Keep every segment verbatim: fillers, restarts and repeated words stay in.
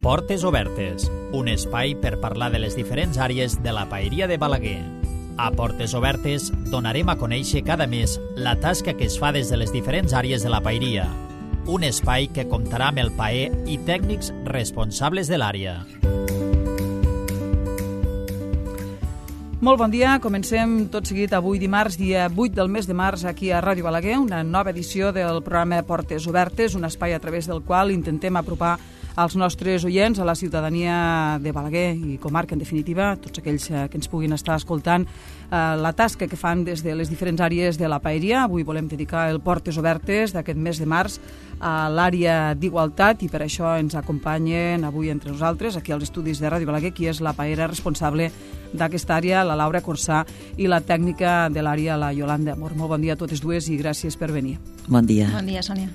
Portes Obertes, un espai per parlar de les diferents àrees de la paeria de Balaguer. A Portes Obertes donarem a conèixer cada mes la tasca que es fa des de les diferents àrees de la paeria. Un espai que comptarà amb el paer i tècnics responsables de l'àrea. Molt bon dia, comencem tot seguit avui dimarts, dia vuit del mes de març, aquí a Ràdio Balaguer, una nova edició del programa Portes Obertes, un espai a través del qual intentem apropar als nostres oients, a la ciutadania de Balaguer i comarca, en definitiva, tots aquells que ens puguin estar escoltant, eh, la tasca que fan des de les diferents àrees de la paeria. Avui volem dedicar el Portes Obertes d'aquest mes de març a l'àrea d'igualtat i per això ens acompanyen avui entre nosaltres, aquí als estudis de Ràdio Balaguer, qui és la paera responsable d'aquesta àrea, la Laura Corsà, i la tècnica de l'àrea, la Yolanda Amor. Molt bon dia a totes dues i gràcies per venir. Bon dia. Bon dia, Sònia.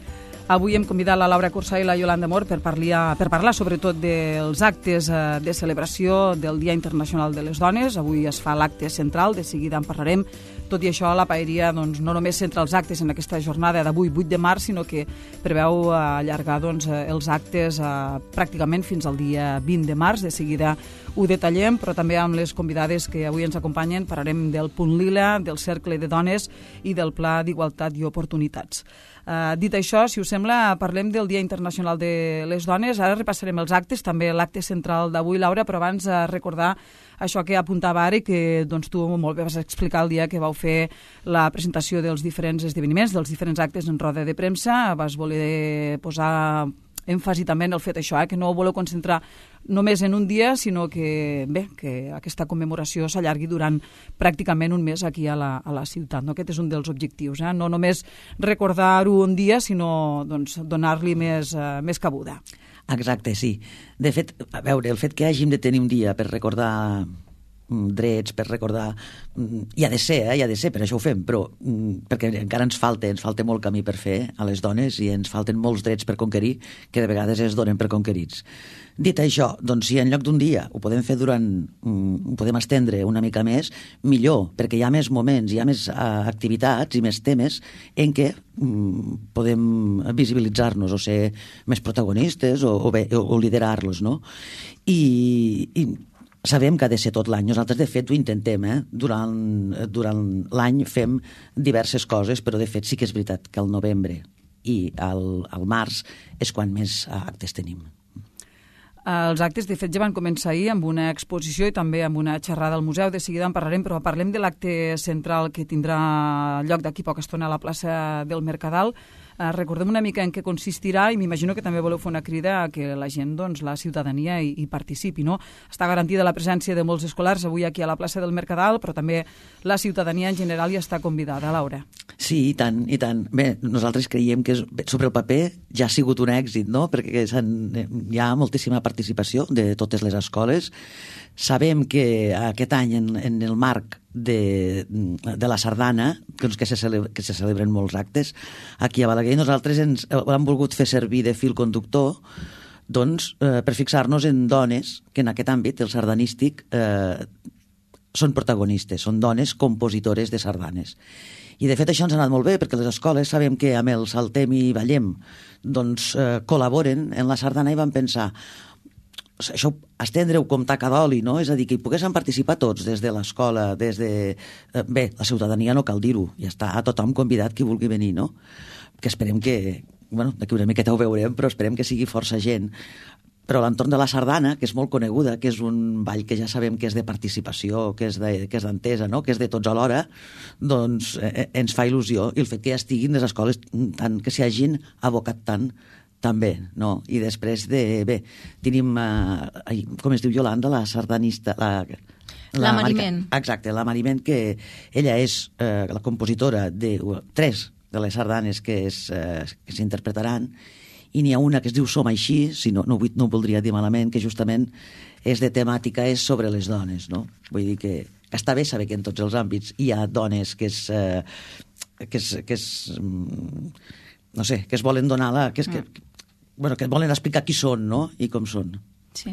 Avui hem convidat la Laura Corsà i la Yolanda Amor per parlar, per parlar sobretot dels actes de celebració del Dia Internacional de les Dones. Avui es fa l'acte central, de seguida en parlarem. Tot i això, la paeria doncs, no només centra els actes en aquesta jornada d'avui, vuit de març, sinó que preveu allargar doncs, els actes eh, pràcticament fins al dia vint de març. De seguida ho detallem, però també amb les convidades que avui ens acompanyen parlarem del Punt Lila, del Cercle de Dones i del Pla d'Igualtat i Oportunitats. Uh, dit això, si us sembla, parlem del Dia Internacional de les Dones. Ara repassarem els actes, també l'acte central d'avui, Laura, però abans uh, recordar això que apuntava ara i que doncs, tu molt bé vas explicar el dia que vau fer la presentació dels diferents esdeveniments, dels diferents actes en roda de premsa. Vas voler posar èmfasi també en el fet això, eh, que no ho voleu concentrar només en un dia, sinó que, bé, que aquesta commemoració s'allargui durant pràcticament un mes aquí a la, a la ciutat. No? Aquest és un dels objectius, eh? No només recordar-ho un dia, sinó doncs, donar-li més, uh, més cabuda. Exacte, sí. De fet, a veure, el fet que hàgim de tenir un dia per recordar drets, per recordar... Hi ha de ser, eh? Hi ha de ser, per això ho fem, però perquè encara ens falta, ens falta molt camí per fer a les dones i ens falten molts drets per conquerir que de vegades es donen per conquerits. Dit això, doncs si en lloc d'un dia ho podem fer durant... ho podem estendre una mica més, millor, perquè hi ha més moments, hi ha més uh, activitats i més temes en què um, podem visibilitzar-nos o ser més protagonistes o, o, bé, o, o liderar-los, no? I... i sabem que ha de ser tot l'any. Nosaltres, de fet, ho intentem. Eh? Durant, durant l'any fem diverses coses, però, de fet, sí que és veritat que al novembre i al, al març és quan més actes tenim. Els actes, de fet, ja van començar ahir amb una exposició i també amb una xerrada al museu. De seguida en parlarem, però parlem de l'acte central que tindrà lloc d'aquí poca estona a la plaça del Mercadal. Uh, recordem una mica en què consistirà i m'imagino que també voleu fer una crida a que la gent, doncs, la ciutadania hi, hi participi, no? Està garantida la presència de molts escolars avui aquí a la plaça del Mercadal, però també la ciutadania en general hi està convidada, Laura. Sí, i tant, i tant. Bé, nosaltres creiem que és, sobre el paper ja ha sigut un èxit, no? Perquè hi ha moltíssima participació de totes les escoles. Sabem que aquest any, en, en el marc de, de la sardana, doncs que, se celebra, que se celebren molts actes, aquí a Balaguer, nosaltres ens hem volgut fer servir de fil conductor doncs, eh, per fixar-nos en dones que en aquest àmbit, el sardanístic, eh, són protagonistes, són dones compositores de sardanes. I de fet això ens ha anat molt bé, perquè les escoles sabem que amb el Saltem i Ballem doncs, eh, col·laboren en la sardana i van pensar això, estendre-ho com taca d'oli, no? És a dir, que hi poguessin participar tots, des de l'escola, des de... Bé, la ciutadania no cal dir-ho, ja està a tothom convidat qui vulgui venir, no? Que esperem que... Bueno, d'aquí una miqueta ho veurem, però esperem que sigui força gent. Però l'entorn de la sardana, que és molt coneguda, que és un ball que ja sabem que és de participació, que és de, que és d'entesa, no? Que és de tots alhora, doncs eh, ens fa il·lusió. I el fet que ja estiguin les escoles, tant que s'hi hagin abocat tant, també, no? I després de... Bé, tenim, eh, com es diu Yolanda, la sardanista... La, la, la Mariment. Exacte, la Mariment, que ella és eh, la compositora de uh, tres de les sardanes que, és, eh, que s'interpretaran, i n'hi ha una que es diu Som així, si no, no, no ho voldria dir malament, que justament és de temàtica, és sobre les dones, no? Vull dir que, que està bé saber que en tots els àmbits hi ha dones que és... Eh, que és, que és no sé, que es volen donar la... Que és, que, bueno, que volen explicar qui són, no? I com són. Sí.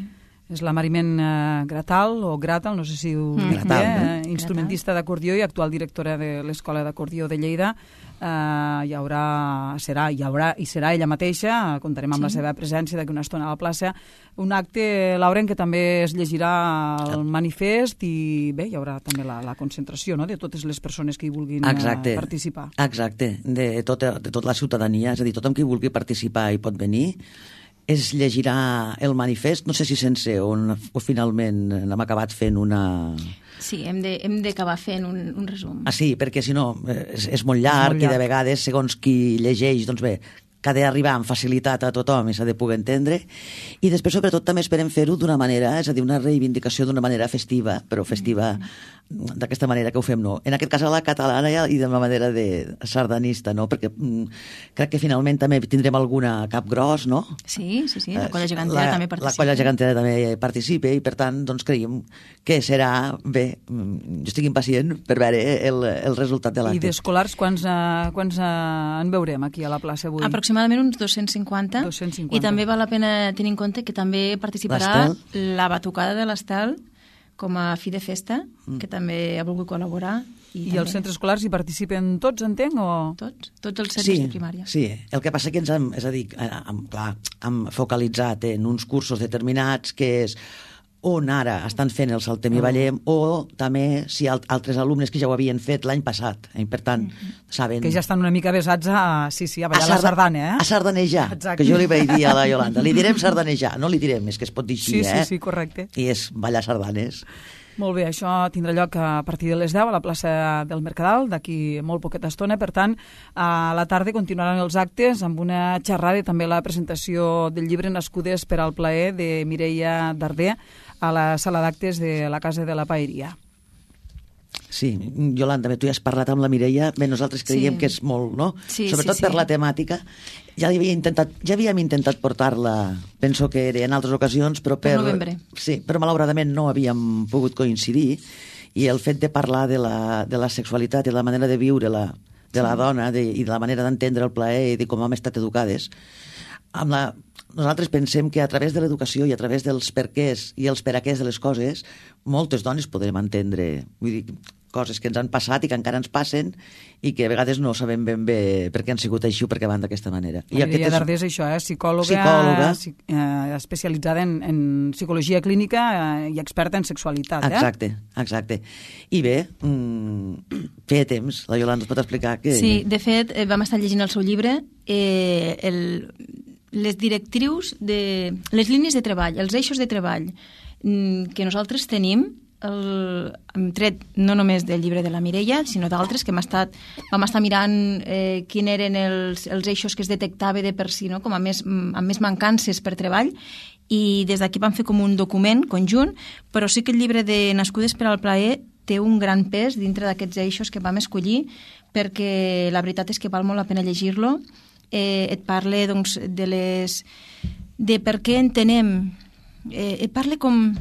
és la Mariment eh, Gratal, o Gratal, no sé si ho Mm. dic Gratal, bé, no? eh, instrumentista d'acordió i actual directora de l'Escola d'Acordió de Lleida. Eh, hi haurà, serà, hi haurà i serà ella mateixa, comptarem amb Sí. la seva presència d'aquí una estona a la plaça, un acte, Laura, en què també es llegirà el manifest i bé, hi haurà també la, la concentració, no?, de totes les persones que hi vulguin Exacte. eh, participar. Exacte, de tota, de tota la ciutadania, és a dir, tothom qui vulgui participar hi pot venir. Es llegirà el manifest, no sé si sense o, o finalment l'hem acabat fent una... Sí, hem de- hem d'acabar fent un, un resum. Ah, sí, perquè si no eh, és, és molt llarg, molt i llarg. de vegades, segons qui llegeix, doncs bé, que ha d'arribar amb facilitat a tothom i s'ha de poder entendre. I després, sobretot, també esperem fer-ho d'una manera, és a dir, una reivindicació d'una manera festiva, però festiva d'aquesta manera que ho fem, no. En aquest cas a la catalana i de manera de sardanista, no? Perquè mm, crec que finalment també tindrem alguna cap gros, no? Sí, sí, sí, la Eh, colla gegantera la, també participa. La colla gegantera també participa i, per tant, doncs creiem que serà bé. mm, Jo estic impacient per veure el, el resultat de I l'acte. d'escolars, quants, uh, quants uh, en veurem aquí a la plaça avui? Aproximadament uns dos-cents cinquanta. dos-cents cinquanta. I també val la pena tenir en compte que també participarà la batucada de l'Estel com a fi de festa, Mm. que també ha volgut col·laborar. I també els centres escolars hi participen tots, entenc, o...? Tots, tots els centres Sí, de primària. sí. El que passa que ens hem, és a dir, hem, clar, hem focalitzat en uns cursos determinats que és on ara estan fent el Saltem i Ballem, o també si al, altres alumnes que ja ho havien fet l'any passat. I, per tant, saben... Que ja estan una mica besats a, sí, sí, a ballar la sarda- sardana, eh? A sardanejar, Exacte. que jo li vaig dir a la Iolanda. Li direm sardanejar, no li direm, és que es pot dir així, Sí, eh? sí, sí, correcte. I és ballar sardanes. Molt bé, això tindrà lloc a partir de les deu a la plaça del Mercadal, d'aquí molt poqueta estona. Per tant, a la tarda continuaran els actes amb una xerrada i també la presentació del llibre Nascudes per al plaer de Mireia Darder a la sala d'actes de la Casa de la Paeria. Sí, Iolanda, bé, tu ja has parlat amb la Mireia, bé, nosaltres creiem Sí. que és molt, no? Sí, Sobretot sí, sí. per la temàtica. Ja, li havia intentat, ja havíem intentat portar-la, penso que era en altres ocasions, però per... Per novembre. Sí, però malauradament no havíem pogut coincidir, i el fet de parlar de la, de la sexualitat i la manera de viure-la de la dona de, i de la manera d'entendre el plaer i de com hem estat educades, amb la, nosaltres pensem que a través de l'educació i a través dels perquès i els peraquès de les coses, moltes dones podrem entendre, vull dir, coses que ens han passat i que encara ens passen i que a vegades no sabem ben bé per què han sigut així o per què van d'aquesta manera. I Mireia Darder és això, eh? psicòloga, Psicòloga. psi- eh, especialitzada en, en psicologia clínica eh, i experta en sexualitat. Eh? Exacte, exacte. I bé, mm, feia temps, la Iolanda ens pot explicar que... Sí, de fet, eh, vam estar llegint el seu llibre, eh, el, les directrius, de, les línies de treball, els eixos de treball mm, que nosaltres tenim, el, hem tret no només del llibre de la Mireia, sinó d'altres que hem estat, vam estar mirant eh, quin eren els, els eixos que es detectava de per si, no? Com a més, amb més mancances per treball, i des d'aquí vam fer com un document conjunt, però sí que el llibre de Nascudes per al plaer té un gran pes dintre d'aquests eixos que vam escollir, perquè la veritat és que val molt la pena llegir-lo. Eh, et parla doncs, de les de per què entenem, eh, et parla com...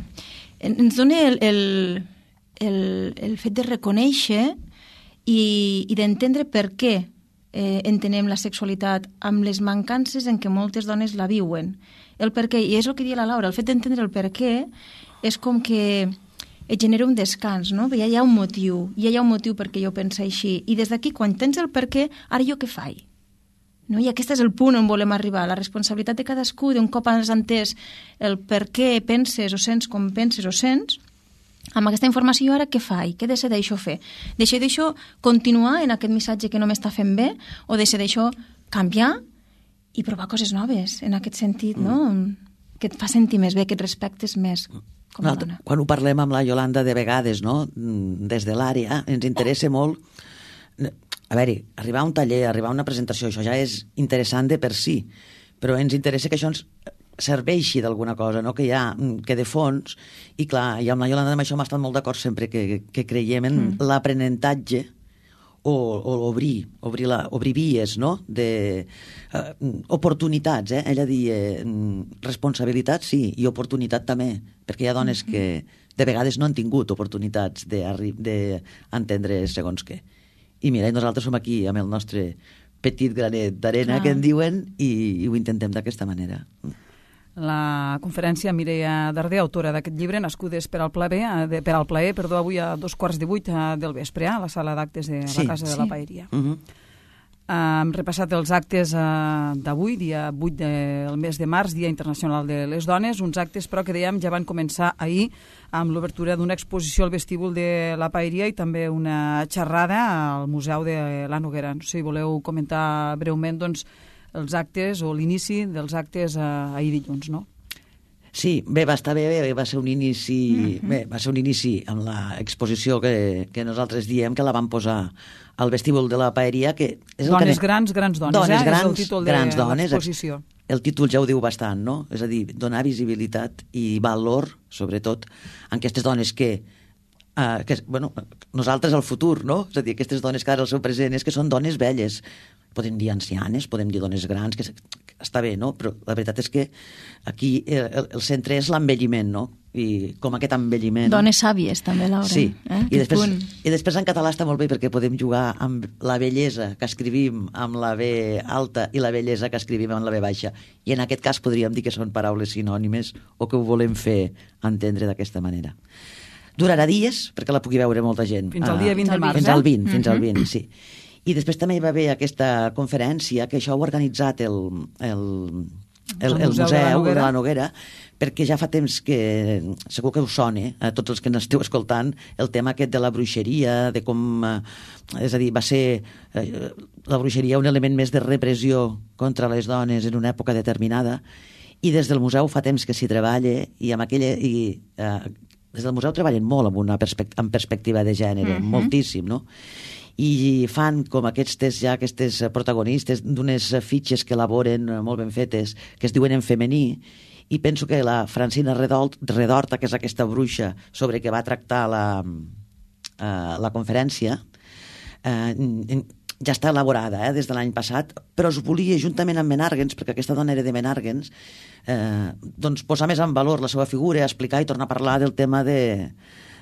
Ens dona el, el, el, el fet de reconèixer i, i d'entendre per què eh, entenem la sexualitat amb les mancances en què moltes dones la viuen. El per què, i és el que dia la Laura, el fet d'entendre el per què és com que et genera un descans, no? Ja hi ha un motiu, ja hi ha un motiu perquè jo penso així. I des d'aquí, quan tens el per què, ara jo què faig? No? I aquest és el punt on volem arribar, la responsabilitat de cadascú, d'un cop has entès el per què penses o sents com penses o sents, amb aquesta informació ara què faig? Què decideixo fer? Decideixo continuar en aquest missatge que no m'està fent bé o decideixo canviar i provar coses noves en aquest sentit, mm. no? Que et fa sentir més bé, que et respectes més com a dona. Quan ho parlem amb la Iolanda de vegades, no? Des de l'àrea, ens interessa molt... A veure, arribar a un taller, arribar a una presentació, això ja és interessant de per si, però ens interessa que això ens serveixi d'alguna cosa, no? Que hi ha, que de fons, i clar, i amb la Iolanda amb això hem estat molt d'acord sempre que, que creiem en mm. l'aprenentatge o, o obrir, obrir, la, obrir vies, no? De uh, oportunitats, eh? Ella dia responsabilitat, sí, i oportunitat també, perquè hi ha dones mm-hmm. que de vegades no han tingut oportunitats d'entendre segons què. I mira, nosaltres som aquí amb el nostre petit granet d'arena, que en diuen, i, i ho intentem d'aquesta manera. la conferència Mireia Darder, autora d'aquest llibre, Nascudes per al plaer, de, per al plaer, perdó, avui a dos quarts de vuit del vespre, a la sala d'actes de sí, la Casa sí. de la Paeria. Uh -huh. Uh, hem repassat els actes uh, d'avui, dia vuit del mes de març, Dia Internacional de les Dones, uns actes però que dèiem ja van començar ahir amb l'obertura d'una exposició al vestíbul de la Paeria i també una xerrada al Museu de la Noguera. No sé si voleu comentar breument doncs, els actes o l'inici dels actes uh, ahir dilluns, no? Sí, bé, va estar bé, bé va ser un inici, mm-hmm. bé, va ser un inici amb l'exposició que, que nosaltres diem que la vam posar al vestíbul de la Paeria, que és el dones que... grans, grans dones, dones eh? grans, és el títol de grans dones, l'exposició. El títol ja ho diu bastant, no? És a dir, donar visibilitat i valor, sobretot, a aquestes dones que, uh, que bueno, nosaltres al futur, no? És a dir, aquestes dones que ara el seu present és que són dones velles. Podem dir ancianes, podem dir dones grans, que, que està bé, no? Però la veritat és que aquí el, el centre és l'envelliment, no? I com aquest envelliment... Dones sàvies, també, Laura. Sí, eh? I, després, i després en català està molt bé perquè podem jugar amb la bellesa que escrivim amb la B alta i la bellesa que escrivim amb la B baixa. I en aquest cas podríem dir que són paraules sinònimes o que ho volem fer entendre d'aquesta manera. Durarà dies perquè la pugui veure molta gent. Fins al dia vint de març, Fins eh? al vint, fins al vint, sí. I després també hi va haver aquesta conferència que això ho ha organitzat el, el, el, el, el Museu de la, de la Noguera, perquè ja fa temps que, segur que us sona, a tots els que n'esteu escoltant, el tema aquest de la bruixeria, de com, eh, és a dir, va ser eh, la bruixeria un element més de repressió contra les dones en una època determinada, i des del museu fa temps que s'hi treballa, i amb aquella... I, eh, des del museu treballen molt amb una perspect amb perspectiva de gènere, mm-hmm. moltíssim, no? I fan com aquestes ja aquestes protagonistes d'unes fitxes que elaboren molt ben fetes, que es diuen en femení, i penso que la Francina Redorta, que és aquesta bruixa sobre què va tractar la, uh, la conferència, uh, ja està elaborada eh, des de l'any passat, però es volia, juntament amb Menàrguens, perquè aquesta dona era de Menàrguens, eh, doncs posar més en valor la seva figura, explicar i tornar a parlar del tema de...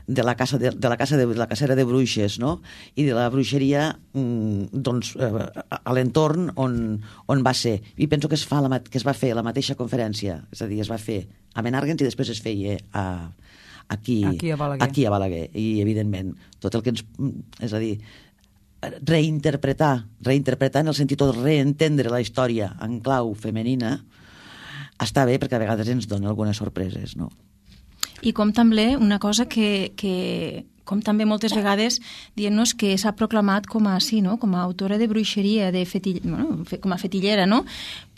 de la casa de, de la casa de, de la cacera de bruixes, no? I de la bruixeria doncs, eh, a l'entorn on, on va ser. I penso que es, fa la, que es va fer la mateixa conferència, és a dir, es va fer a Menàrguens i després es feia a, aquí, aquí, a Balaguer. aquí a Balaguer. I, evidentment, tot el que ens... És a dir, reinterpretar, reinterpretar en el sentit de reentendre la història en clau femenina està bé perquè a vegades ens dona algunes sorpreses, no? I com també una cosa que, que com també moltes vegades dient-nos que s'ha proclamat com a, sí, no? Com a autora de bruixeria, de fetill... bueno, com a fetillera, no?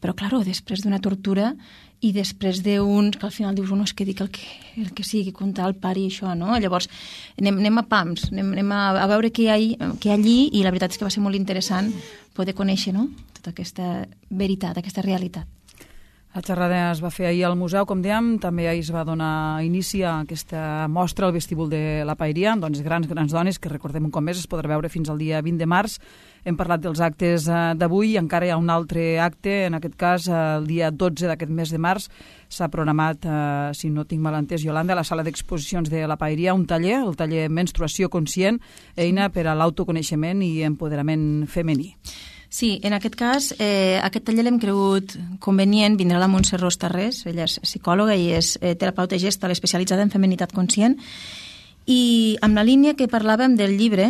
Però, clar, després d'una tortura i després d'un... que al final dius, no, és que dic el que, el que sigui, contar el pare i això, no? Llavors, anem, anem a pams, anem, anem a, a veure què hi, ha, què hi ha allí, i la veritat és que va ser molt interessant poder conèixer, no?, tota aquesta veritat, aquesta realitat. La xerrada es va fer ahir al museu, com dèiem, també ahir es va donar inici a aquesta mostra al vestíbul de la Paeria, doncs grans, grans dones, que recordem un cop més es podrà veure fins al dia vint de març. Hem parlat dels actes d'avui i encara hi ha un altre acte, en aquest cas el dia dotze d'aquest mes de març s'ha programat, eh, si no tinc mal entès, Iolanda, a la sala d'exposicions de la Paeria, un taller, el taller Menstruació Conscient, eina per a l'autoconeixement i empoderament femení. Sí, en aquest cas, eh, aquest taller l'hem cregut convenient, vindrà la Montse Ros Tarrés, ella és psicòloga i és eh, terapeuta gestal especialitzada en feminitat conscient, i amb la línia que parlàvem del llibre,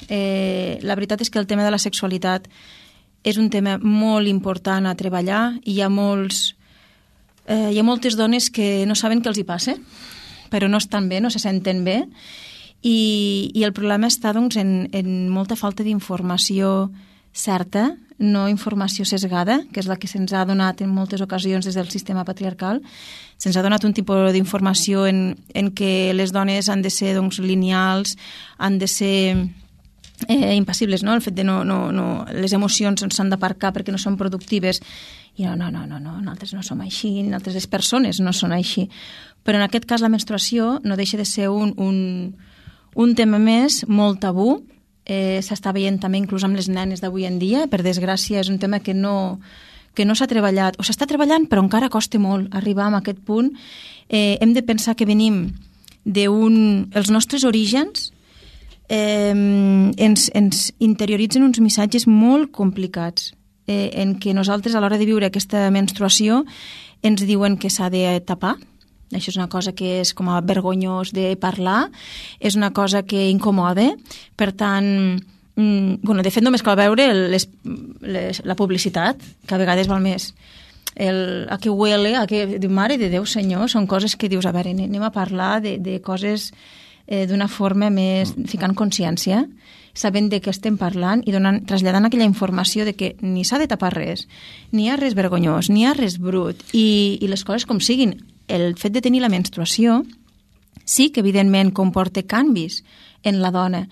eh, la veritat és que el tema de la sexualitat és un tema molt important a treballar, i hi ha, molts, eh, hi ha moltes dones que no saben què els hi passa, però no estan bé, no se senten bé, i, i el problema està doncs, en, en molta falta d'informació certa, no informació sesgada, que és la que se'ns ha donat en moltes ocasions des del sistema patriarcal. Se'ns ha donat un tipus d'informació en, en què les dones han de ser doncs, lineals, han de ser eh, impassibles, no? El fet de no, no, no, les emocions s'han d'aparcar perquè no són productives. I no, no, no, no, no, nosaltres no som així, nosaltres les persones no són així. Però en aquest cas la menstruació no deixa de ser un, un, un tema més molt tabú. Eh, s'està veient també inclús amb les nenes d'avui en dia, per desgràcia és un tema que no, que no s'ha treballat, o s'està treballant però encara costa molt arribar a aquest punt. Eh, hem de pensar que venim d'un... els nostres orígens eh, ens, ens interioritzen uns missatges molt complicats, eh, en què nosaltres a l'hora de viure aquesta menstruació ens diuen que s'ha de tapar. Això és una cosa que és com a vergonyós de parlar, és una cosa que incomoda, per tant, mm, bueno, de fet només cal veure les, les, la publicitat, que a vegades val més el, a què huele, a què... Mare de Déu, senyor, són coses que dius, a veure, anem a parlar de, de coses eh, d'una forma més, ficant consciència, sabent de què estem parlant i donant, traslladant aquella informació de que ni s'ha de tapar res, ni hi ha res vergonyós, ni hi ha res brut, i, i les coses com siguin. El fet de tenir la menstruació sí que, evidentment, comporta canvis en la dona.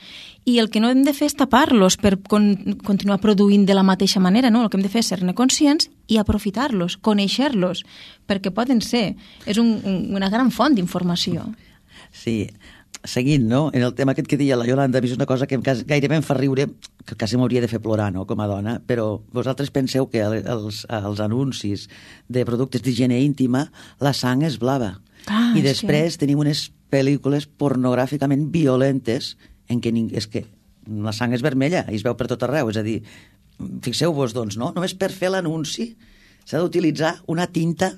I el que no hem de fer és tapar-los per con continuar produint de la mateixa manera, no? El que hem de fer és ser-ne conscients i aprofitar-los, conèixer-los, perquè poden ser. És un, un, una gran font d'informació. Sí, seguint, no?, en el tema aquest que deia la Iolanda, és una cosa que gairebé em fa riure, que quasi m'hauria de fer plorar, no?, com a dona, però vosaltres penseu que els, els anuncis de productes d'higiene íntima, la sang és blava. Ah, I després que... tenim unes pel·lícules pornogràficament violentes en què és que la sang és vermella i es veu per tot arreu. És a dir, fixeu-vos, doncs, no? Només per fer l'anunci s'ha d'utilitzar una tinta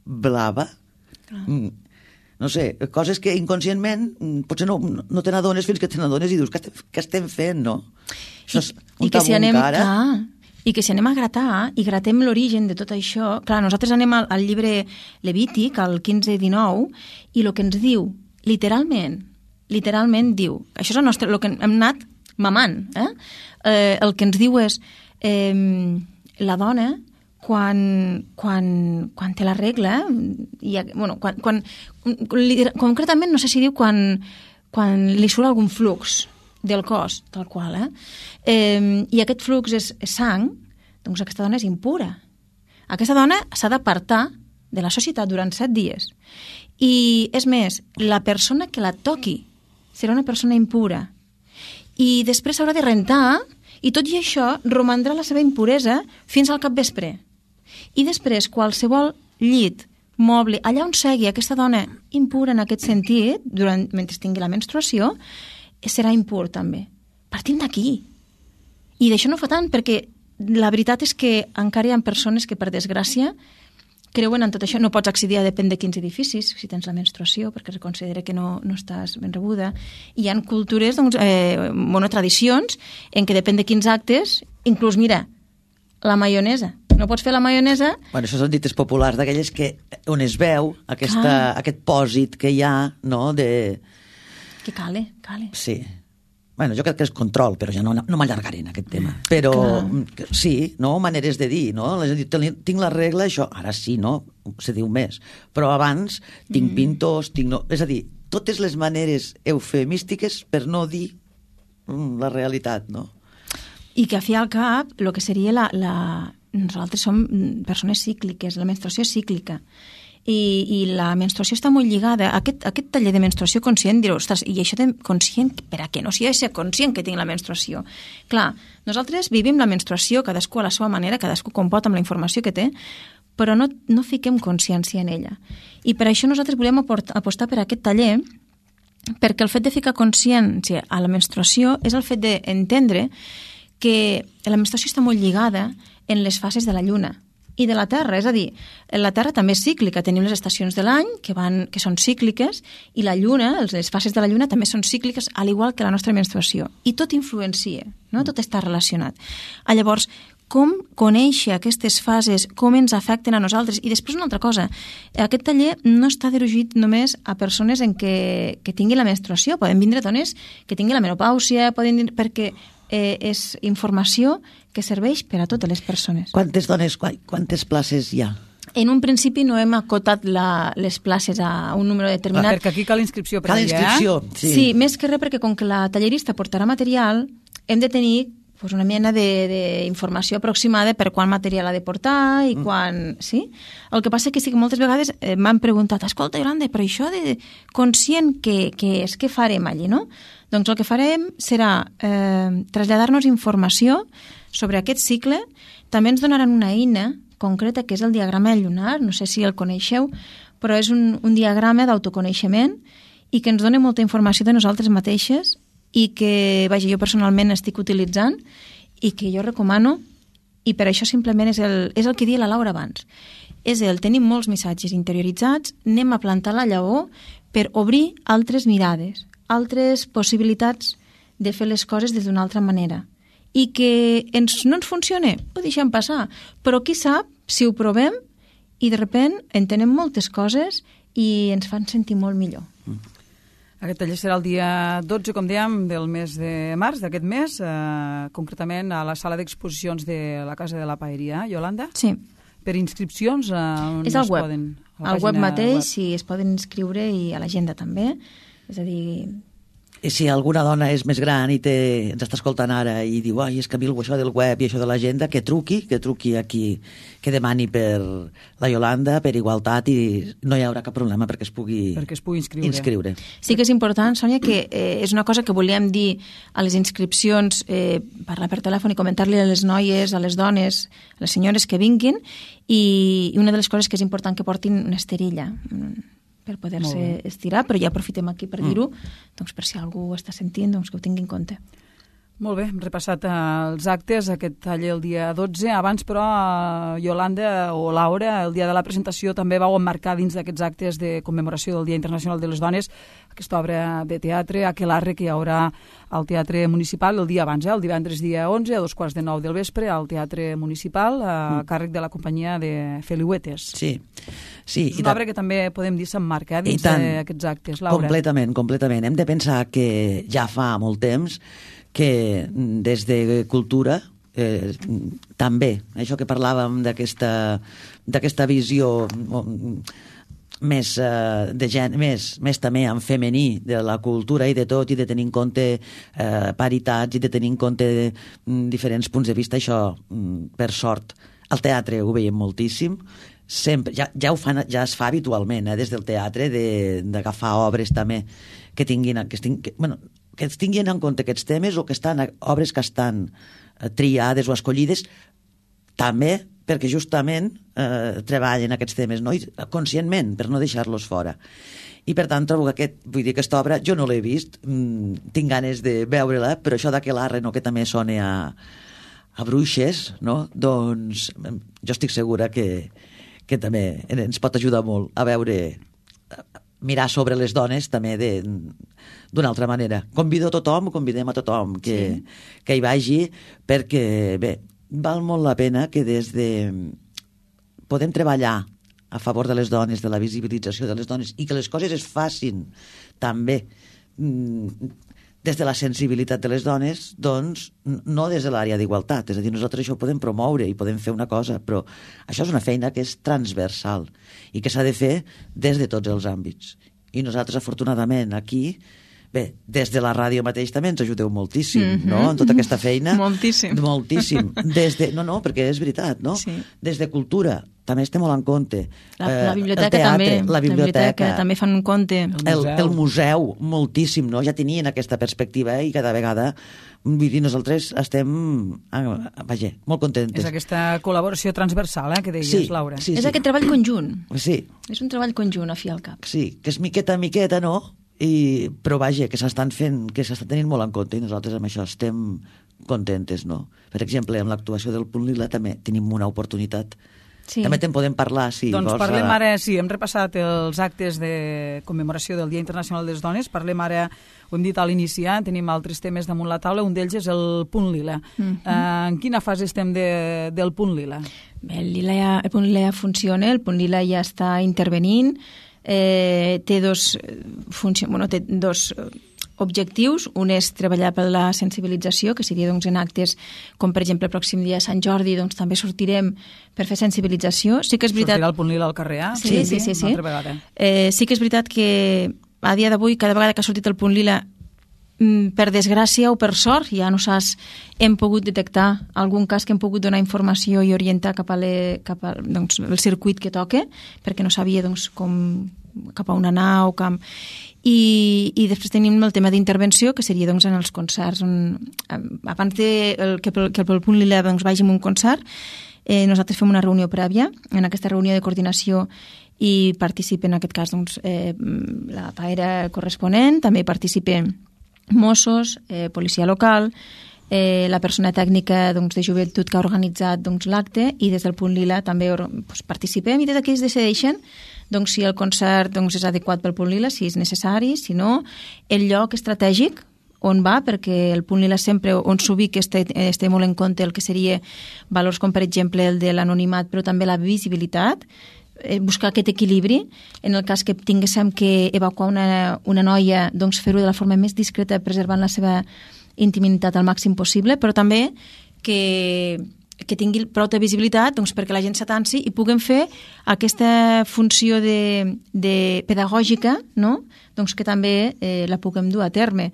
blava. Mm. No sé, coses que inconscientment potser no, no te n'adones fins que te n'adones i dius, què estem, què estem fent, no? Això és un I que si anem, encara. clar, i que si anem a gratar i gratem l'origen de tot això, clar, nosaltres anem al, al llibre Levític, al quinze dinou, i el que ens diu, literalment, literalment diu, això és el nostre, el que hem anat mamant, eh? Eh, el que ens diu és eh, la dona quan, quan, quan té la regla, i, bueno, quan, quan, concretament no sé si diu quan, quan li surt algun flux del cos, tal qual, eh? eh i aquest flux és, és sang, doncs aquesta dona és impura. Aquesta dona s'ha d'apartar de la societat durant set dies. I, és més, la persona que la toqui serà una persona impura. I després s'haurà de rentar, i tot i això romandrà la seva impuresa fins al capvespre. I després, qualsevol llit, moble, allà on segui aquesta dona impura en aquest sentit, durant, mentre tingui la menstruació, serà impur també. Partim d'aquí. I d'això no fa tant, perquè la veritat és que encara hi ha persones que, per desgràcia, creuen en tot això. No pots accedir a depèn de quins edificis, si tens la menstruació, perquè es considera que no, no estàs ben rebuda. I hi ha cultures, doncs, eh, bueno, tradicions, en què depèn de quins actes, inclús, mira, la maionesa. No pots fer la maionesa... Bueno, això són dites populars d'aquelles que on es veu aquesta, ah. aquest pòsit que hi ha, no?, de... Que cale, cale. Sí. Bueno, jo crec que és control, però ja no, no m'allargaré en aquest tema. Però clar. Sí, no? Maneres de dir, no? És a dir, tinc la regla, això, ara sí, no? Se diu més. Però abans tinc mm. pintos, tinc... No... És a dir, totes les maneres eufemístiques per no dir mm, la realitat, no? I que a fi al cap, el que seria la... la... Nosaltres som persones cícliques, la menstruació és cíclica. I, i la menstruació està molt lligada a aquest, a aquest taller de menstruació conscient. Direu, ostres, i això de conscient, per a què? No, si ha de ser conscient que tinc la menstruació. Clar, nosaltres vivim la menstruació, cadascú a la seva manera, cadascú com pot amb la informació que té, però no, no fiquem consciència en ella. I per això nosaltres volem apostar per aquest taller, perquè el fet de ficar consciència a la menstruació és el fet d'entendre que la menstruació està molt lligada en les fases de la lluna i de la Terra, és a dir, la Terra també és cíclica, tenim les estacions de l'any que, van, que són cícliques i la Lluna, les fases de la Lluna també són cícliques, al igual que la nostra menstruació, i tot influencia, no? Tot està relacionat. Ah, llavors, com conèixer aquestes fases, com ens afecten a nosaltres? I després una altra cosa, aquest taller no està dirigit només a persones en què, que tinguin la menstruació, poden vindre dones que tinguin la menopàusia, poden dir, perquè eh, és informació que serveix per a totes les persones. Quantes dones, quantes places hi ha? En un principi no hem acotat la, les places a un número determinat. Ah, perquè aquí cal inscripció prèvia, cal inscripció, eh? sí. Sí, més que res perquè com que la tallerista portarà material, hem de tenir pues, una mena d'informació aproximada per quant material ha de portar i quan... Mm. Sí? El que passa que sí que moltes vegades eh, m'han preguntat, escolta, Iolanda, però això de conscient que, que és, què farem allí, no? Doncs el que farem serà eh, traslladar-nos informació sobre aquest cicle. També ens donaran una eina concreta que és el diagrama lunar, no sé si el coneixeu, però és un, un diagrama d'autoconeixement i que ens dona molta informació de nosaltres mateixes i que, vaja, jo personalment estic utilitzant i que jo recomano i per això simplement és el, és el que deia la Laura abans. És el, tenim molts missatges interioritzats, anem a plantar la llavor per obrir altres mirades, altres possibilitats de fer les coses des d'una altra manera. I que ens, no ens funcione, ho deixem passar. Però qui sap si ho provem i de sobte entenem moltes coses i ens fan sentir molt millor. Aquest taller serà el dia dotze, com dèiem, del mes de març, d'aquest mes, eh, concretament a la sala d'exposicions de la Casa de la Paeria. Iolanda? Sí. Per inscripcions, eh, on és al es web. poden... Al web mateix, sí, es poden inscriure i a l'agenda també. És a dir... I si alguna dona és més gran i té, ens està escoltant ara i diu, ai, és que a mi això del web i això de l'agenda, que truqui, que truqui aquí, que demani per la Iolanda, per igualtat, i no hi haurà cap problema perquè es pugui, perquè es pugui inscriure. inscriure. Sí que és important, Sònia, que eh, és una cosa que volíem dir a les inscripcions, eh, parlar per telèfon i comentar-li a les noies, a les dones, a les senyores que vinguin, i, i una de les coses que és important que portin una esterilla, per poder-se estirar, però ja aprofitem aquí per dir-ho, doncs per si algú ho està sentint, doncs que ho tingui en compte. Molt bé, hem repassat eh, els actes, aquest taller el dia dotze. Abans, però, eh, Iolanda o Laura, el dia de la presentació també vau emmarcar dins d'aquests actes de commemoració del Dia Internacional de les Dones aquesta obra de teatre, Aquelarre, que hi haurà al Teatre Municipal el dia abans, eh, el divendres dia onze, a dos quarts de nou del vespre, al Teatre Municipal, a mm. càrrec de la companyia de Feliuetes. Sí. Sí, és una obra que també podem dir s'emmarca eh, dins d'aquests actes, Laura. Completament, completament. Hem de pensar que ja fa molt temps que des de cultura eh, també, això que parlàvem d'aquesta d'aquesta visió més, eh, de gen, més, més també en femení de la cultura i de tot, i de tenir en compte eh, paritats i de tenir en compte mm, diferents punts de vista, això, mm, per sort, al teatre ho veiem moltíssim, sempre, ja, ja, ho fan, ja es fa habitualment, eh, des del teatre, d'agafar obres també que tinguin, que, tinguin, que, bueno, que es tinguin en compte aquests temes o que estan, obres que estan triades o escollides també perquè justament eh, treballen aquests temes, no? I, conscientment, per no deixar-los fora. I per tant trobo que aquest, vull dir, aquesta obra jo no l'he vist, mm, tinc ganes de veure-la, però això d'Aquelarre, no, que també sona a, a bruixes, no? Doncs jo estic segura que, que també ens pot ajudar molt a veure, mirar sobre les dones també de, d'una altra manera. Convido a tothom, convidem a tothom que, sí. que hi vagi, perquè bé, val molt la pena que des de podem treballar a favor de les dones, de la visibilització de les dones, i que les coses es facin també des de la sensibilitat de les dones, doncs no des de l'àrea d'igualtat. És a dir, nosaltres això ho podem promoure i podem fer una cosa, però això és una feina que és transversal i que s'ha de fer des de tots els àmbits. I nosaltres, afortunadament, aquí, bé, des de la ràdio mateix també ens ajudeu moltíssim, mm-hmm. no?, en tota aquesta feina. Moltíssim. Moltíssim. Des de, no, no, perquè és veritat, no? Sí. Des de cultura també estem molt en compte. La, la biblioteca el teatre, també. La biblioteca. La biblioteca també fan un compte. El museu. El, el museu, moltíssim, no? Ja tenien aquesta perspectiva, eh? I cada vegada, vull dir, nosaltres estem, vaja, molt contentes. És aquesta col·laboració transversal, eh, que deies, sí, Laura. Sí, és sí. aquest treball conjunt. Sí. És un treball conjunt, a fi al cap. Sí, que és miqueta a miqueta, no? I, però vaja, que s'estan fent, que s'estan tenint molt en compte, i nosaltres amb això estem contentes, no? Per exemple, amb l'actuació del Punt Lila també tenim una oportunitat. Sí. També te'n podem parlar, si doncs vols. Parlem ara, sí, hem repassat els actes de commemoració del Dia Internacional de les Dones, parlem ara, ho hem dit a l'iniciar, tenim altres temes damunt la taula, un d'ells és el Punt Lila. Mm-hmm. uh, en quina fase estem de, del Punt Lila? Bé, el, Lila ja, el Punt Lila ja funciona, el Punt Lila ja està intervenint, eh, té dos, funció, bueno, té dos objectius. Un és treballar per la sensibilització, que seria doncs, en actes com, per exemple, el pròxim dia a Sant Jordi, doncs, també sortirem per fer sensibilització. Sí que és veritat... Sortirà el Punt Lila al carrer, eh? Sí, sí, sí. sí, sí. Eh, sí que és veritat que a dia d'avui, cada vegada que ha sortit el Punt Lila, per desgràcia o per sort, ja no saps, hem pogut detectar algun cas que hem pogut donar informació i orientar cap a, le, cap a doncs, el circuit que toca, perquè no sabia doncs, com, cap a on anar o cap... I, i després tenim el tema d'intervenció, que seria doncs, en els concerts. On, abans de el, que, pel, que pel Punt Lila doncs, vagi a un concert, eh, nosaltres fem una reunió prèvia. En aquesta reunió de coordinació i participen, en aquest cas, doncs, eh, la paera corresponent, també participen Mossos, eh, policia local, eh, la persona tècnica doncs, de joventut que ha organitzat doncs, l'acte, i des del Punt Lila també doncs, participem, i des d'aquí es decideixen doncs, si el concert doncs, és adequat pel Punt Lila, si és necessari, si no, el lloc estratègic on va, perquè el Punt Lila sempre on s'ubica es té, es té molt en compte el que seria valors com per exemple el de l'anonimat, però també la visibilitat, buscar aquest equilibri. En el cas que tinguéssim que evacuar una, una noia, doncs fer-ho de la forma més discreta, preservant la seva intimitat al màxim possible, però també que, que tingui prou de visibilitat doncs, perquè la gent s'atansi i puguem fer aquesta funció de, de pedagògica, no? Doncs que també eh, la puguem dur a terme.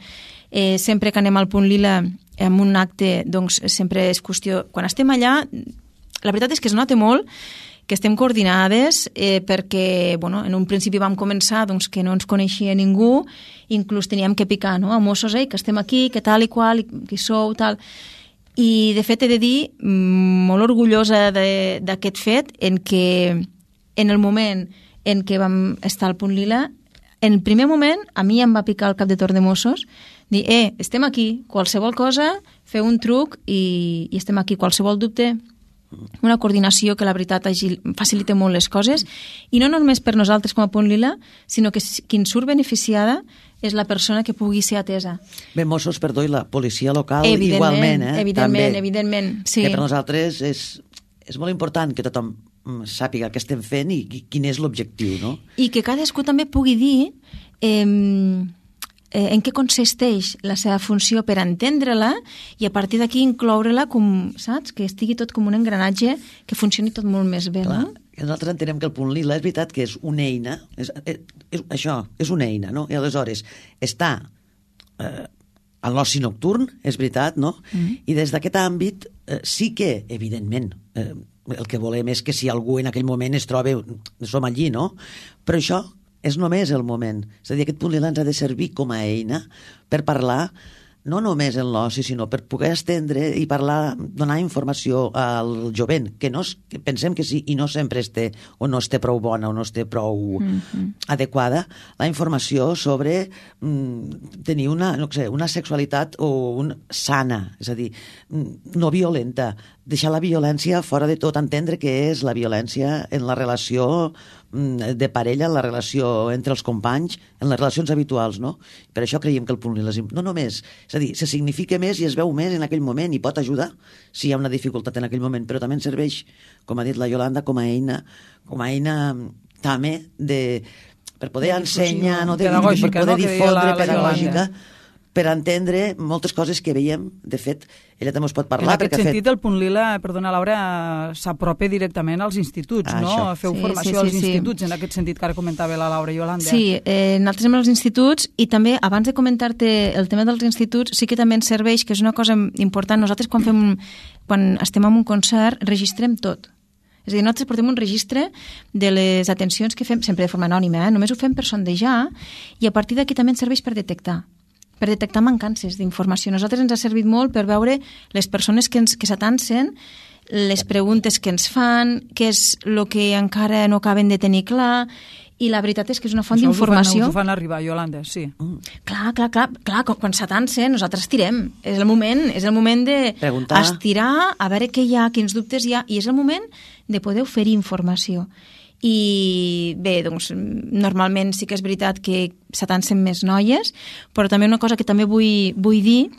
Eh, sempre que anem al Punt Lila en un acte, doncs sempre és qüestió... Quan estem allà, la veritat és que es nota molt que estem coordinades eh, perquè, bueno, en un principi vam començar doncs, que no ens coneixia ningú, inclús teníem que picar, no?, a Mossos, eh, que estem aquí, que tal i qual, qui sou, tal... I, de fet, he de dir, molt orgullosa d'aquest fet, en què en el moment en què vam estar al Punt Lila, en el primer moment, a mi em va picar el cap de torn de Mossos, dir, eh, estem aquí, qualsevol cosa, feu un truc i, i estem aquí, qualsevol dubte, una coordinació que la veritat agil, facilita molt les coses, i no només per nosaltres com a Punt Lila, sinó que qui en surt beneficiada és la persona que pugui ser atesa. Bé, Mossos, perdó, i la policia local igualment, eh? Evidentment, també, evidentment, sí. Que per nosaltres és, és molt important que tothom sàpiga el que estem fent i quin és l'objectiu, no? I que cadascú també pugui dir eh, eh, en què consisteix la seva funció per entendre-la i a partir d'aquí incloure-la com, saps? Que estigui tot com un engranatge que funcioni tot molt més bé, clar, no? Nosaltres entenem que el Punt Lila és veritat que és una eina, és, és, és, això, és una eina, no? I aleshores està eh, a l'oci nocturn, és veritat, no? Mm. I des d'aquest àmbit eh, sí que, evidentment, eh, el que volem és que si algú en aquell moment es troba, som allí, no? Però això és només el moment. És a dir, aquest Punt Lila ens ha de servir com a eina per parlar no només en l'oci, sinó per poder estendre i parlar, donar informació al jovent, que, no, que pensem que sí i no sempre es té, o no es té prou bona o no es té prou mm-hmm. adequada, la informació sobre mm, tenir una, no sé, una sexualitat o un, sana, és a dir, no violenta, deixar la violència fora de tot, entendre què és la violència en la relació de parella, en la relació entre els companys, en les relacions habituals, no? Per això creiem que el Punt Lila no només, és a dir, se significa més i es veu més en aquell moment i pot ajudar si hi ha una dificultat en aquell moment, però també ens serveix, com ha dit la Yolanda, com a eina, com a eina també de, per poder de ensenyar, no, de, per poder no? difondre, pedagògica, per entendre moltes coses que veiem. De fet, ella també us pot parlar. En aquest sentit, fet... el Punt Lila, perdona, Laura, s'apropa directament als instituts, ah, no? Això. Feu sí, formació sí, sí, als instituts, sí. En aquest sentit que ara comentava la Laura i Yolanda. Sí, eh, nosaltres anem als instituts i també, abans de comentar-te el tema dels instituts, sí que també ens serveix, que és una cosa important, nosaltres quan, fem, quan estem en un concert registrem tot. És a dir, nosaltres portem un registre de les atencions que fem, sempre de forma anònima, eh? Només ho fem per sondejar i a partir d'aquí també ens serveix per detectar per detectar mancances d'informació. A nosaltres ens ha servit molt per veure les persones que, ens, que s'atansen, les preguntes que ens fan, què és el que encara no acaben de tenir clar, i la veritat és que és una font d'informació. Us ho fan arribar, Yolanda, sí. Mm. Clar, clar, clar, clar, quan s'atansen nosaltres tirem. És el moment, és el moment de preguntar, estirar, a veure què hi ha, quins dubtes hi ha, i és el moment de poder oferir informació. I bé, doncs, normalment sí que és veritat que s'atansen més noies, però també una cosa que també vull, vull dir